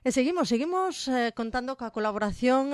E seguimos contando coa colaboración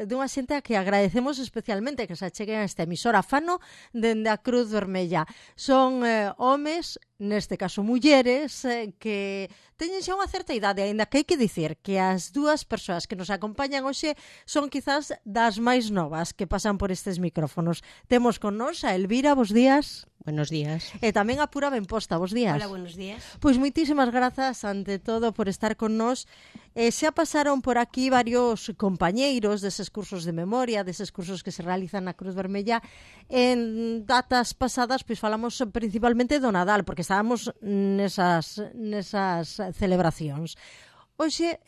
dunha xente a que agradecemos especialmente que se acheguen a esta emisora. Fano dende a Cruz Vermella. Son homes, neste caso mulleres, que teñen xa unha certa idade, aínda que hai que dicir que as dúas persoas que nos acompañan hoxe son quizás das máis novas que pasan por estes micrófonos. Temos con nos a Elvira, bos días. Buenos días. E tamén a Pura Benposta, bos días. Hola, buenos días. Pois moitísimas grazas ante todo por estar con nós. Xa pasaron por aquí varios compañeiros deses cursos de memoria, deses cursos que se realizan na Cruz Vermella. En datas pasadas pois falamos principalmente do Nadal, porque estábamos nesas celebracións. Hoxe,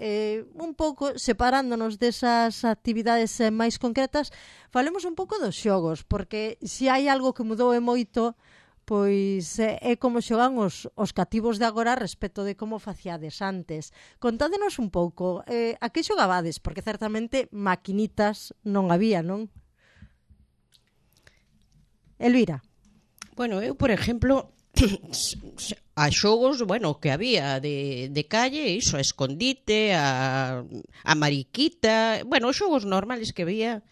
un pouco separándonos desas actividades máis concretas, falemos un pouco dos xogos, porque se hai algo que mudou e moito, pois é como xogan os cativos de agora respecto de como faciades antes. Contádenos un pouco, a que xogabades? Porque certamente maquinitas non había, non? Elvira. Bueno, eu, por exemplo, a xogos, bueno, que había de calle, iso, a escondite, a mariquita, bueno, os xogos normales que había.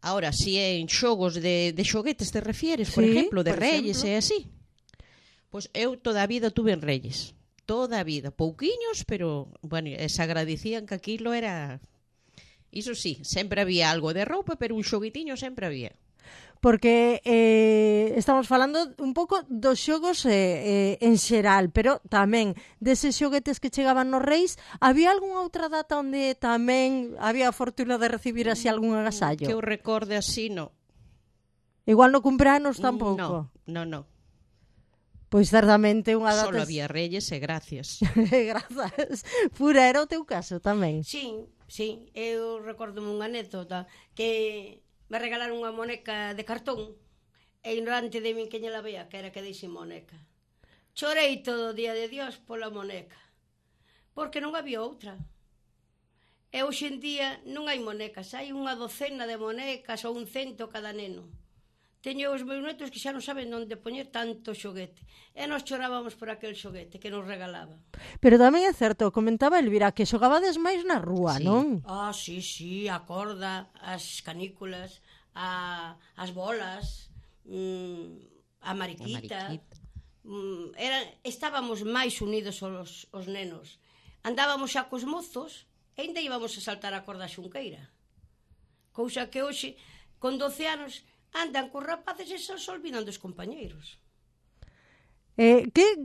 Ahora, si en xogos de xoguetes te refieres, por exemplo, de Reyes e así. Pois eu toda a vida tuve en Reyes. Toda a vida. Pouquiños, pero, bueno, se agradecían que aquilo era... Iso sí, sempre había algo de roupa, pero un xoguetiño sempre había. Porque estamos falando un pouco dos xogos en xeral, pero tamén deses xoguetes que chegaban nos Reis, había algunha outra data onde tamén había a fortuna de recibir así algún agasallo? Que eu recorde así, no. Igual no cumpleanos tampouco? No. Pois certamente unha data... Solo había Reyes e gracias. Grazas. Pura, era o teu caso tamén? Sí, eu recordome unha anécdota que... me regalaron unha moneca de cartón e ignorante de min que lle la vea que era que deixe moneca. Chorei todo o día de Dios pola moneca, porque non había outra. E hoxe en día non hai monecas, hai unha docena de monecas ou 100 cada neno. Teño os meus netos que xa non saben onde poñer tanto xoguete. E nos chorábamos por aquel xoguete que nos regalaba. Pero tamén é certo, comentaba Elvira, que xogabades máis na rúa, sí. Non? Sí, a corda, as canículas, as bolas, a mariquita. Estábamos máis unidos os nenos. Andábamos xa cos mozos e ainda íbamos a saltar a corda xunqueira. Cousa que hoxe, con 12 anos... andan cos rapaces e se olvidan dos compañeiros. Que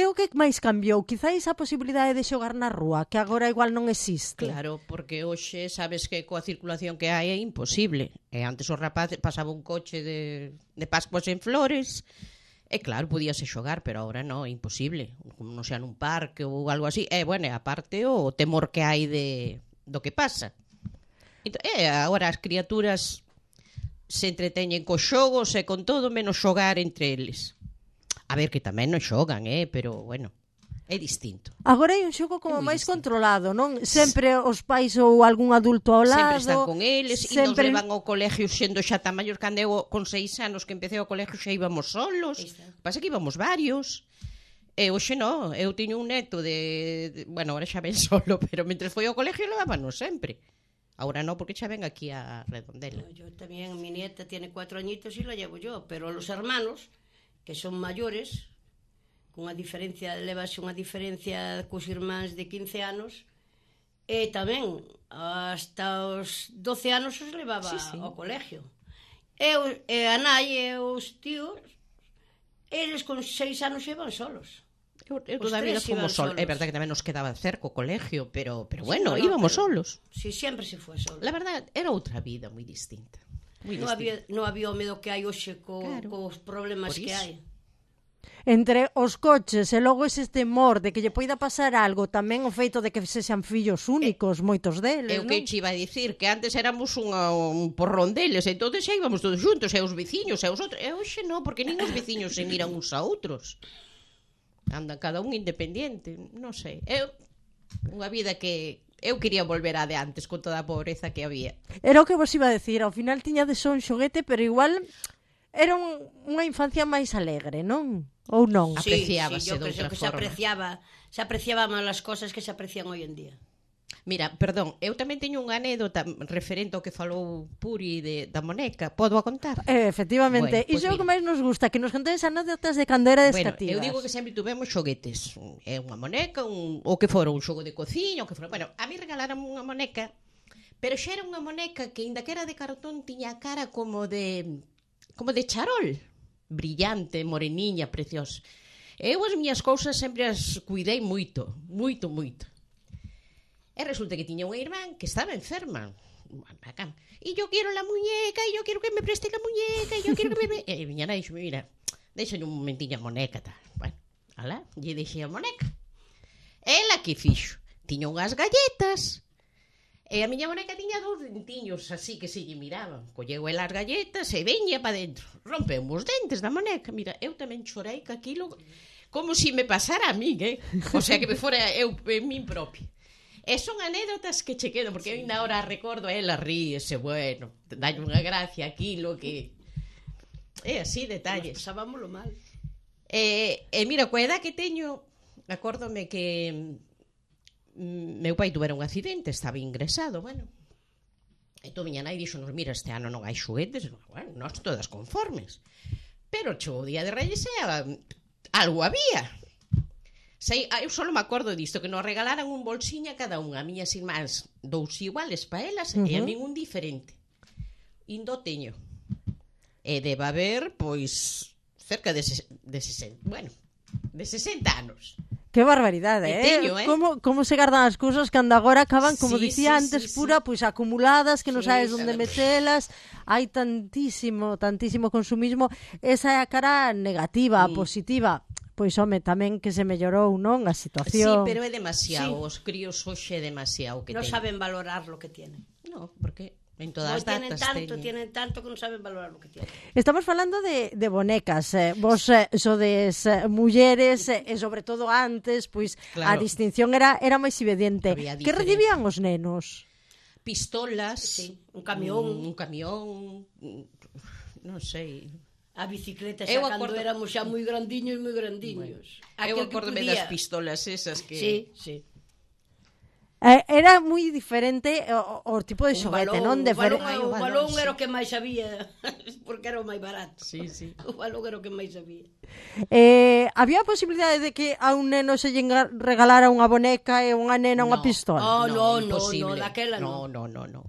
o que máis cambiou? Quizáis a posibilidade de xogar na rúa, que agora igual non existe. Claro, porque hoxe sabes que coa circulación que hai é imposible. E antes os rapaces pasaba un coche de Pascuas en Flores e claro, podíase xogar, pero agora non, é imposible. Non xa nun parque ou algo así. E, bueno, aparte o temor que hai do que pasa. Agora as criaturas... se entreteñen cos xogos e con todo menos xogar entre eles. A ver, que tamén non xogan, pero, bueno, é distinto. Agora hai un xogo como máis controlado, non? Sempre os pais ou algún adulto ao lado. Sempre están con eles e nos levan ao colegio sendo xa tan maior. Cando eu con 6 anos que empecé ao colegio xa íbamos solos. Pasa que íbamos varios. E hoxe non, eu tiño un neto bueno, ahora xa ven solo, pero mentre foi ao colegio levábanos sempre. Ahora no, porque xa ven aquí a Redondela. Yo tamén, mi nieta tiene 4 añitos y la llevo yo, pero los hermanos, que son mayores, cunha diferencia, levase unha diferencia cos irmáns de 15 anos, e tamén, hasta os 12 anos os levaba ao colegio. E a nai e os tíos, eles con 6 anos iban solos. Eu toda a vida fomos solos. É verdade que tamén nos quedaba cerca o colegio, pero bueno, íbamos solos. Si, sempre se foi solos. La verdade, era outra vida moi distinta. Non había o medo que hai hoxe cos problemas que hai. Entre os coches e logo ese temor de que lle poida pasar algo, tamén o feito de que sexan fillos únicos, moitos deles, non? Eu que che iba a dicir que antes éramos un porrón deles, entón xa íbamos todos juntos, e os veciños, e os outros. E hoxe non, porque nin os veciños se miran uns a outros. Andan cada un independiente, non sei. Unha vida que eu quería volver a de antes con toda a pobreza que había. Era o que vos iba a decir, ao final tiñades un xoguete, pero igual era unha infancia máis alegre, non? Ou non? Apreciábase yo de creo outra que forma. se apreciaba máis as cosas que se aprecian hoy en día. Mira, perdón, eu tamén teño unha anécdota referente ao que falou Puri da moneca. Podo a contar? Efectivamente, Bueno, iso é o que mira. máis nos gusta, que nos contéis anécdotas de cando era Bueno, descativas. eu digo que sempre tuvemos xoguetes. É unha moneca, o que fora un xogo de cociña, o que fora. Bueno, a mí regalaron unha moneca, pero xa era unha moneca que, inda que era de cartón, tiña a cara como de charol. Brillante, moreniña, preciosa. Eu as miñas cousas sempre as cuidei moito, moito, moito. E resulta que tiña unha irmán que estaba enferma. E yo quiero la muñeca, e yo quiero que me preste la muñeca, e yo quiero que me... E miña nai dixo, mira, deixalle un momentiño a moneca, tal. Bueno, alá, lle deixei a moneca. Ela que fixo? Tiña unhas galletas. E a miña moneca tiña 2 dentiños así que se lle miraban. Colleu ela as galletas e veña pa dentro. Rompeu os dentes da moneca. Mira, eu tamén chorei que aquilo como se me pasara a min, O sea, que me fora eu en min propia. E son anécdotas que che quedan, porque eu ainda ahora recordo, ela ríese, bueno, dalle unha gracia aquilo que... É así, detalles. Pasábamoslo mal. E mira, coa edad que teño, acórdome que meu pai tuvera un accidente, estaba ingresado, bueno. Entón miña nai dixonos, mira, este ano non hai xoguetes, bueno, nós todas conformes. Pero chegou o día de Reyes e algo había. Sei, eu só me acordo disto, que nos regalaran un bolsiño a cada unha. A miñas irmáns 2 iguales para elas e a min un diferente. Indo teño. E debe haber, pois, cerca de 60, bueno, de 60 anos. Que barbaridade, teño, Como se gardan as cousas cando agora acaban, como Sí, dicía sí, antes, sí, pura, pois acumuladas, que non Sí, sabes onde metelas. Hai tantísimo consumismo. Esa é a cara negativa, positiva. Pois, home, tamén que se mellorou, non? A Sí, situación. pero é demasiado. Os críos hoxe é demasiado que Non teñen. saben valorar lo que tienen. No, porque en todas as tienen datas tienen tanto que non saben valorar lo que tienen. Estamos falando de bonecas. Vos sodes mulleres e sobre todo antes, pois a Claro. distinción era máis evidente. Había Que diferencia. recibían os nenos? pistolas, Sí, un camión. un camión, non sei. A bicicleta Eu xa cando acordo- éramos xa moi grandiños. Eu acórdome das pistolas esas que... Sí, sí. Era moi diferente o tipo de xoguete, non? O balón, Ai, o o balón balón, era o que máis había, porque era o máis barato. Sí, sí. O balón era o que máis había. Había a posibilidade de que a un neno se lle regalara unha boneca e unha nena unha No. pistola? Oh, no, imposible. daquela no. no. No.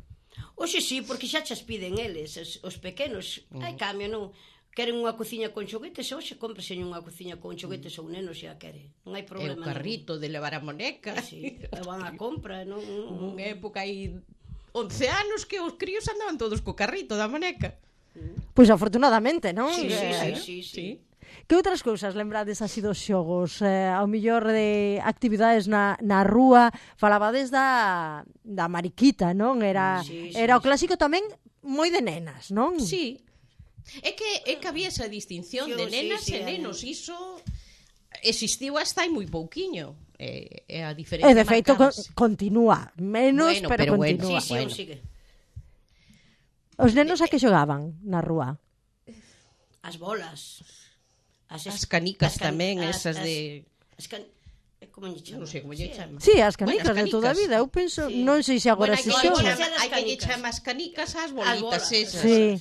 Oxe sí, porque xa chas piden eles, os pequenos. Hai cambio, non? Queren unha cociña con xoguetes, hoxe cómprase unha cociña con xoguetes ou neno xa quere. Non hai É o problema. carrito de levar a moneca. Sí, van a compra, non? Unha época hai 11 anos que os críos andaban todos co carrito da moneca. Pois afortunadamente, non? Sí, Claro, sí. Que outras cousas lembrades así dos xogos? Ao millor de actividades na rúa, falabades da mariquita, non? Era o clásico tamén moi de nenas, non? Sí. É que había esa distinción Sí, de nenas sí, e nenos. sí. Iso existiu hasta hai moi pouquiño. É a E diferencia de feito marcábase. continúa, menos, Bueno, pero pero bueno, continúa. Sí, Bueno. sigue. Os nenos a que xogaban na rúa? As bolas. As canicas tamén, esas de... Como lle chama? Non sei como lle chama. Sí, as canicas, Bueno, as de toda a canicas. vida. Eu penso, Sí. non sei se agora Bueno, se hai que xoga. chama- hai que lle canicas. chamar as canicas ás As bolitas bolas, esas. Sí.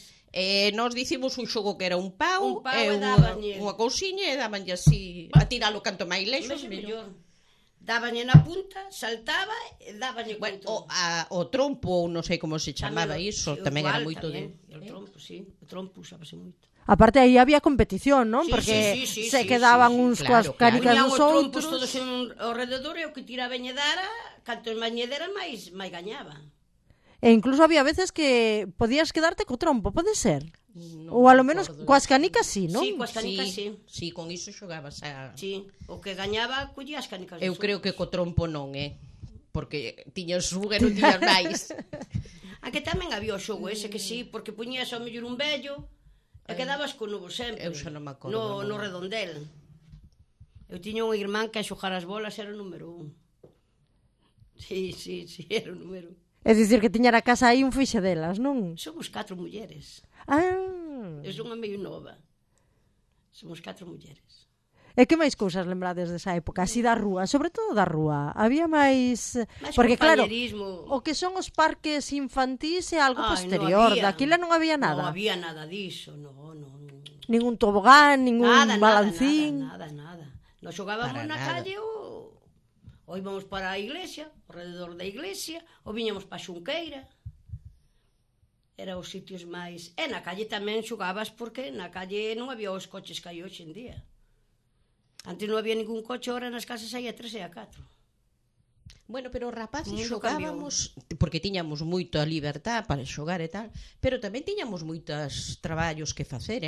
Nós dicimos un xogo que era un pau, Un pau e e unha dábanlle. cousiña e dabanlle así a tiralo canto máis lexos, Mesmo mellor. mellor. Dábañe na punta, saltaba e dábañe Bueno, contra. o trompo, non sei como se chamaba Tamén o- iso, sí, o tamén era igual, moito tamén. de... O trompo, sí. O trompo usábase moito. Aparte, aí había competición, non? Sí, Porque sí, se quedaban uns claro, coas canicas Poñían dos os trompos outros. todos ao rededor e o que tiraba e dara, cantos máis lle dera, máis gañaba. E incluso había veces que podías quedarte co trompo, pode ser? Non Ou alo me menos acordo coas diso. canicas sí, non? Sí, coas canicas sí. Sí, con iso xogabas a... Sí, o que gañaba collía as canicas. Eu dos creo que outros. co trompo non, porque tiñas un e non tiñas máis. A que tamén había o xogo ese que sí, porque puñías ao mellor un vello e quedabas co novo sempre. Eu xa non me acordo, No non. redondel. Eu tiña un irmán que a xogar as bolas era o número 1. Sí, era o número 1. É dicir que tiña na casa aí un fixe delas, non? Somos 4 mulleres. Ah, Eu son unha meio nova. Somos 4 mulleres. E que máis cousas lembrades desa época? Así da rúa, sobre todo da rúa. Había máis... Máis Porque claro, compañerismo. o que son os parques infantís é algo Ai, posterior. non había. Daquila non había Non nada. había nada diso, non. Ningún tobogán, ningún balancín. Nada. Nos xogábamos Para na nada. calle ou íbamos para a iglesia, alrededor da iglesia, ou viñamos para a Xunqueira. Era os sitios máis... E na calle tamén xogabas porque na calle non había os coches que hai hoxe en día. Antes non había ningún coche, ahora nas casas hai a 3 e a 4. Bueno, pero os rapaces O mundo xogábamos porque tiñamos moita libertad para xogar e tal, pero tamén tiñamos moitos traballos que facer,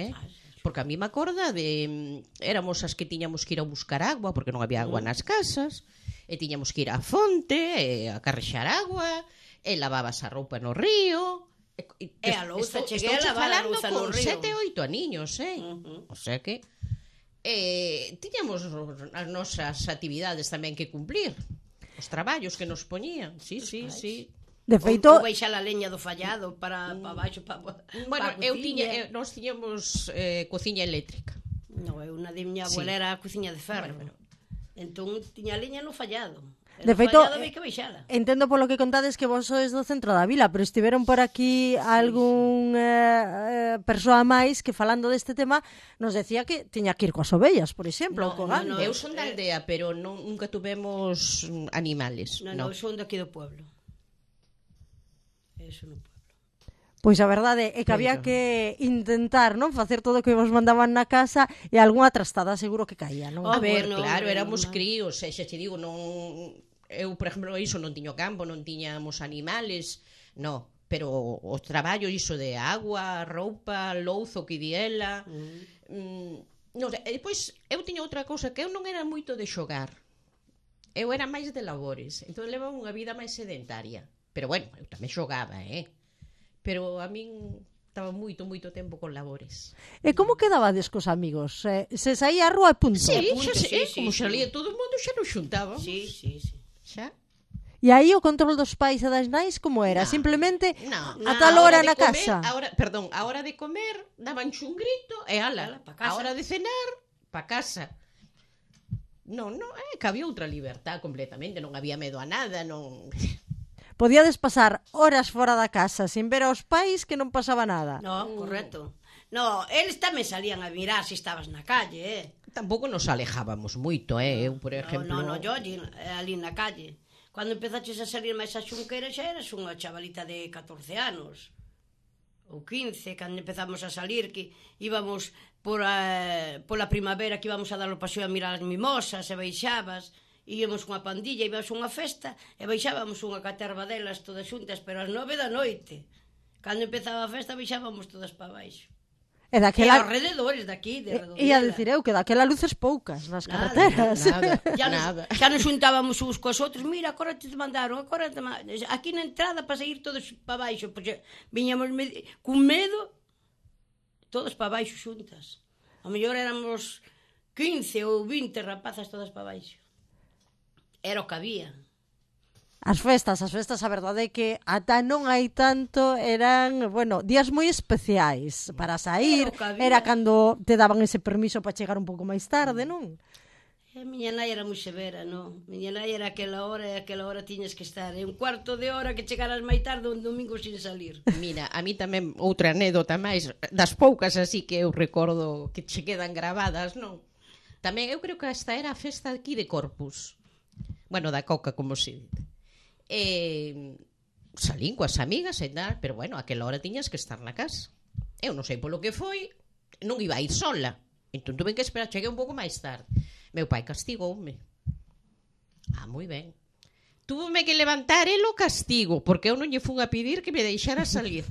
Porque a mí me acorda de éramos as que tiñamos que ir a buscar agua porque non había agua nas casas, e tiñamos que ir á fonte, a carrexar agua, e lavabas a roupa no río. E a louza, cheguei a lavar a louza no río. Con 7 ou 8 aniños, O sea que tiñamos as nosas actividades tamén que cumplir. Os traballos que nos poñían. Sí. De feito, Ou baixar a leña do fallado para baixo, para Bueno, a cociña. nós tiñamos cociña eléctrica. No, eu na de miña abuela era a cociña de ferro. Entón, tiña leña no fallado. De feito, fallado había que baixala. entendo polo que contades que vos sois do centro da vila, pero estiveron por aquí algún persoa máis que falando deste tema nos decía que tiña que ir coas ovellas, por exemplo, No, co no, gando. no. Eu son da aldea, pero nunca tuvemos animales. Non, eu son daqui do pueblo. Eso no pueblo. Pois a verdade é que había que intentar, non, facer todo o que vos mandaban na casa e algunha trastada seguro que caía, non? A ver, bueno, claro, éramos normal. críos, xa te digo, non... Eu, por exemplo, iso non tiño campo, non tiñamos animales, no, pero o traballo iso de agua, roupa, louzo que diela... non sei, e depois eu tiña outra cousa, que eu non era moito de xogar. Eu era máis de labores, entón levaba unha vida máis sedentaria. Pero bueno, eu tamén xogaba, Pero a min estaba moito tempo con labores. E como quedabades cos amigos? Se saía á rúa e punto. Sí, punto, como sí. salía todo o mundo, xa nos xuntábamos. Sí. Xa? E aí o control dos pais e das nais como era? No, Simplemente No, a tal hora de na comer, casa. A hora de comer daban un grito e ala, Pa casa. a hora de cenar pa casa. Non, que había outra libertad completamente, non había medo a nada, non. Podíades pasar horas fora da casa sin ver aos pais que non pasaba nada. No, correcto. No, eles tamén salían a mirar se estabas na calle, Tampouco nos alejábamos moito, Eu, por exemplo. No, yo ali na calle. Cando empezaches a salir máis a Xunqueira xa eras unha chavalita de 14 anos. Ou 15, cando empezamos a salir, que íbamos pola primavera, que íbamos a dar o paseo a mirar as mimosas, e baixabas, íamos unha pandilla, íbamos a unha festa, e baixábamos unha caterva delas todas xuntas, pero ás 9 da noite. Cando empezaba a festa, baixábamos todas para baixo. E E daquela... alrededores daqui, de Redondela. Ia dicir eu que daquela luces poucas nas carreteras. Nada. Xa nos xuntábamos uns cos outros, mira, agora te mandaron, aquí na entrada para sair todos para baixo, porque viñamos cun medo, todos para baixo xuntas. A mellor éramos 15 ou 20 rapazas todas para baixo. Era o que había. As festas, a verdade é que ata non hai tanto, eran, bueno, días moi especiais para sair, Era o que había. era cando te daban ese permiso para chegar un pouco máis tarde, non? E a miña nai era moi severa, non? Miña nai era aquela hora e aquela hora tiñas que estar. E un cuarto de hora que chegaras máis tarde un domingo sin salir. Mira, a mí tamén outra anécdota máis, das poucas así que eu recordo que che quedan gravadas, non? Tamén eu creo que esta era a festa aquí de Corpus. Bueno, da Coca, como se dite. Salín coas amigas e tal, pero bueno, aquela hora tiñas que estar na casa. Eu non sei polo que foi, non iba a ir sola. Entón tuve que esperar, cheguei un pouco máis tarde. Meu pai castigoume. Moi ben. Túvome que levantar el o castigo, porque eu non lle fun a pedir que me deixara salir.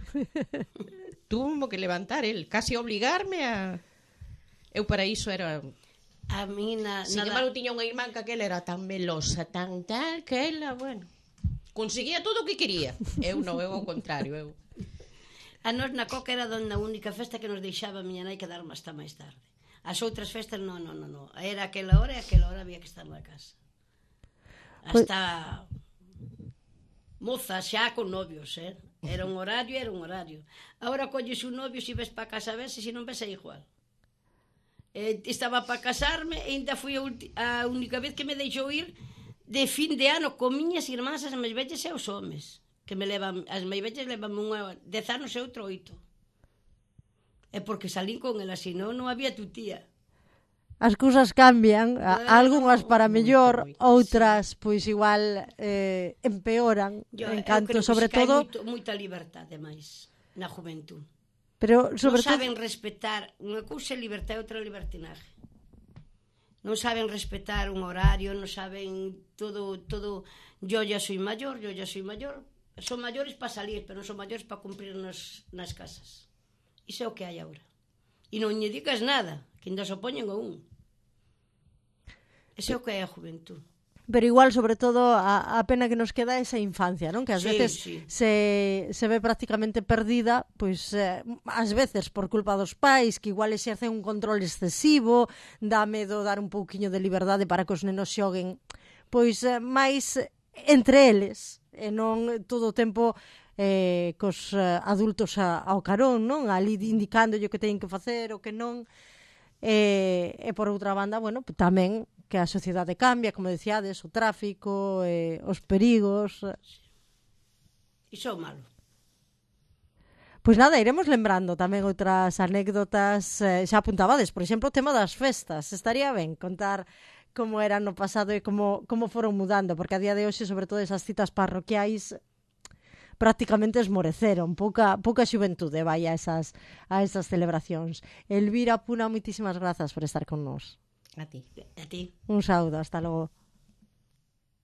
Túvome que levantar el, casi obligarme a... Eu para iso era... A mí Sin embargo, tiña unha irmán que aquela era tan melosa, tan tal, que ela, bueno... Conseguía todo o que quería. Eu non, eu ao contrario, A nos na Coca era a única festa que nos deixaba a miña nai quedar hasta máis tarde. As outras festas, non. Era aquela hora e aquela hora había que estar na casa. Hasta moza xa con novios, Era un horario. Agora colles un novio, se ves para casa, ves, e se non ves é igual. Estaba para casarme e ainda foi a única vez que me deixou ir de fin de ano con miñas irmás, as máis vellas e os homes, que me levan, as máis vellas levan unha 10 anos e outro 8. É porque salín con ela, senón non había tutía. As cousas cambian, algunhas para mellor, moito, outras pois igual empeoran, en canto sobre todo, moita liberdade máis na juventud. pero sobre Non todo saben respetar, unha cousa é libertad e outra libertinaje. Non saben respetar un horario, non saben todo, yo ya soy mayor. Son maiores para salir, pero non son maiores para cumprir nas casas. Iso é o que hai agora. E non lle digas nada, que ainda se opoñen a un. Iso é o que hai a juventud. pero igual sobre todo a pena que nos queda é esa infancia, non? Que ás Sí, veces sí. se ve prácticamente perdida, pois ás veces por culpa dos pais que igual exercen un control excesivo, dá medo dar un pouquiño de liberdade para que os nenos xoguen pois máis entre eles e non todo o tempo cos adultos ao carón, non? Ali indicándolle o que teñen que facer o que non. E por outra banda, bueno, tamén que a sociedade cambia, como diciades, o tráfico, os perigos. Iso é o malo. Pois nada, iremos lembrando tamén outras anécdotas, xa apuntabades, por exemplo, o tema das festas. Estaría ben contar como era no pasado e como foron mudando, porque a día de hoxe, sobre todo esas citas parroquiais, prácticamente esmoreceron, pouca xuventude vai a esas celebracións. Elvira Puna, moitísimas grazas por estar con nós. A ti. A ti. Un saúdo, hasta logo.